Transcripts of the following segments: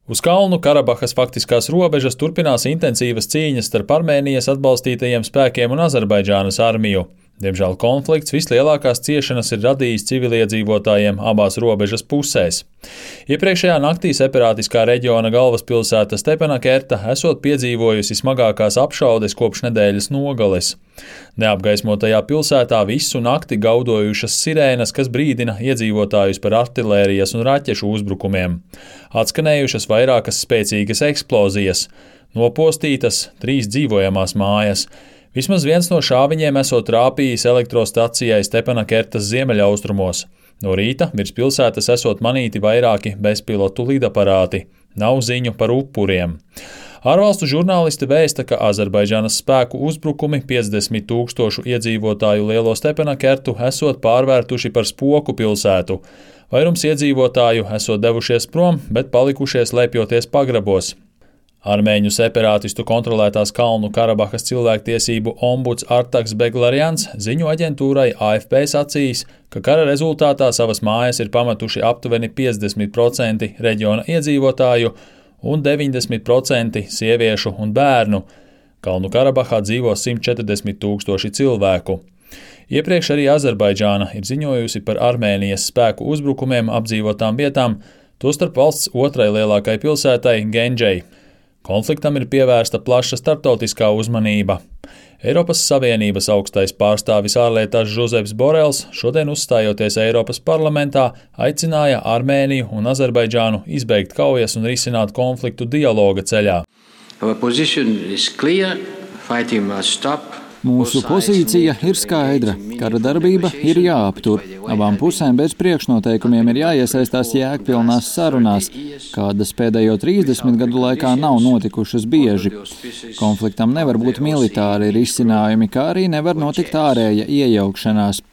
Uz Kalnu Karabahas faktiskās robežas turpinās intensīvas cīņas starp Armēnijas atbalstītajiem spēkiem un Azerbaidžānas armiju. Diemžēl konflikts vislielākās ciešanas ir radījis civiliedzīvotājiem abās robežas pusēs. Iepriekšējā naktī separātiskā reģiona galvaspilsēta Stepanakerta esot piedzīvojusi smagākās apšaudes kopš nedēļas nogales. Neapgaismotajā pilsētā visu nakti gaudojušas sirēnas, kas brīdina iedzīvotājus par artilērijas un raķešu uzbrukumiem. Atskanējušas vairākas spēcīgas eksplozijas, nopostītas 3 dzīvojamās mājas. Vismaz viens no šāviņiem esot trāpījis elektrostacijai Stepanakertas ziemeļaustrumos. No rīta virs pilsētas esot manīti vairāki bezpilotu lidaparāti. Nav ziņu par upuriem. Ārvalstu žurnālisti vēsta, ka Azerbaidžānas spēku uzbrukumi 50 000 iedzīvotāju lielo Stepanakertu esot pārvērtuši par spoku pilsētu. Vairums iedzīvotāju esot devušies prom, bet palikušies lēpjoties pagrabos. Armēņu separātistu kontrolētās Kalnu Karabahas cilvēktiesību ombuds Artaks Beglarjans ziņu aģentūrai AFP sacījis, ka kara rezultātā savas mājas ir pametuši aptuveni 50% reģiona iedzīvotāju un 90% sieviešu un bērnu. Kalnu Karabahā dzīvo 140 000 cilvēku. Iepriekš arī Azerbaidžāna ir ziņojusi par Armēnijas spēku uzbrukumiem apdzīvotām vietām, tostarp valsts otrai lielākai pilsētai Gendžai. Konfliktam ir pievērsta plaša starptautiskā uzmanība. Eiropas Savienības augstais pārstāvis ārlietās Žozeps Borels šodien uzstājoties Eiropas parlamentā aicināja Armēniju un Azerbaidžānu izbeigt kaujas un risināt konfliktu dialoga ceļā. Mūsu pozīcija ir skaidra. Kara darbība ir jāaptur. Abām pusēm bez priekšnoteikumiem ir jāiesaistās jēgpilnās sarunās, kādas pēdējo 30 gadu laikā nav notikušas bieži. Konfliktam nevar būt militāri risinājumi, kā arī nevar notikt ārēja iejaukšanās.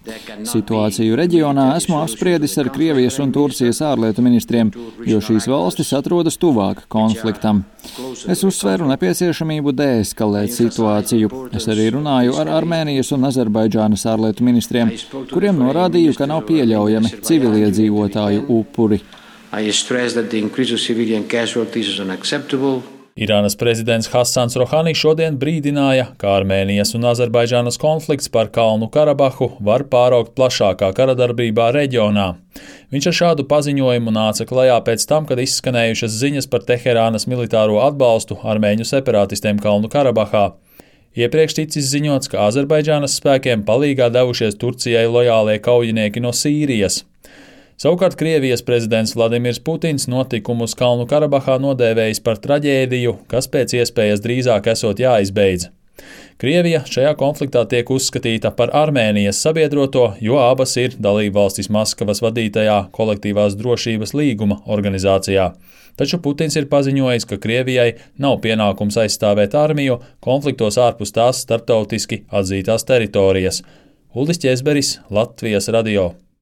Situāciju reģionā esmu apspriedis ar Krievijas un Turcijas ārlietu ministriem, jo šīs valstis atrodas tuvāk konfliktam. Es uzsveru nepieciešamību deeskalēt situāciju. Es arī runāju ar Armēnijas un Azerbaidžānas ārlietu ministriem, kuriem norādīju, ka nav pieļaujami civiliedzīvotāju upuri. Irānas prezidents Hasans Rohani šodien brīdināja, ka Armēnijas un Azerbaidžānas konflikts par Kalnu Karabahu var pāraugt plašākā karadarbībā reģionā. Viņš ar šādu paziņojumu nāca klajā pēc tam, kad izskanējušas ziņas par Teherānas militāro atbalstu armēņu separātistiem Kalnu Karabahā. Iepriekš ticis ziņots, ka Azerbaidžānas spēkiem palīgā devušies Turcijai lojālie kaujinieki no Sīrijas. Savukārt Krievijas prezidents Vladimirs Putins notikumus Kalnu Karabahā nodēvējis par traģēdiju, kas pēc iespējas drīzāk esot jāizbeidz. Krievija šajā konfliktā tiek uzskatīta par Armēnijas sabiedroto, jo abas ir dalībvalstis Maskavas vadītajā kolektīvās drošības līguma organizācijā. Taču Putins ir paziņojis, ka Krievijai nav pienākums aizstāvēt armiju konfliktos ārpus tās starptautiski atzītās teritorijas. Uldis Ķezberis, Latvijas radio.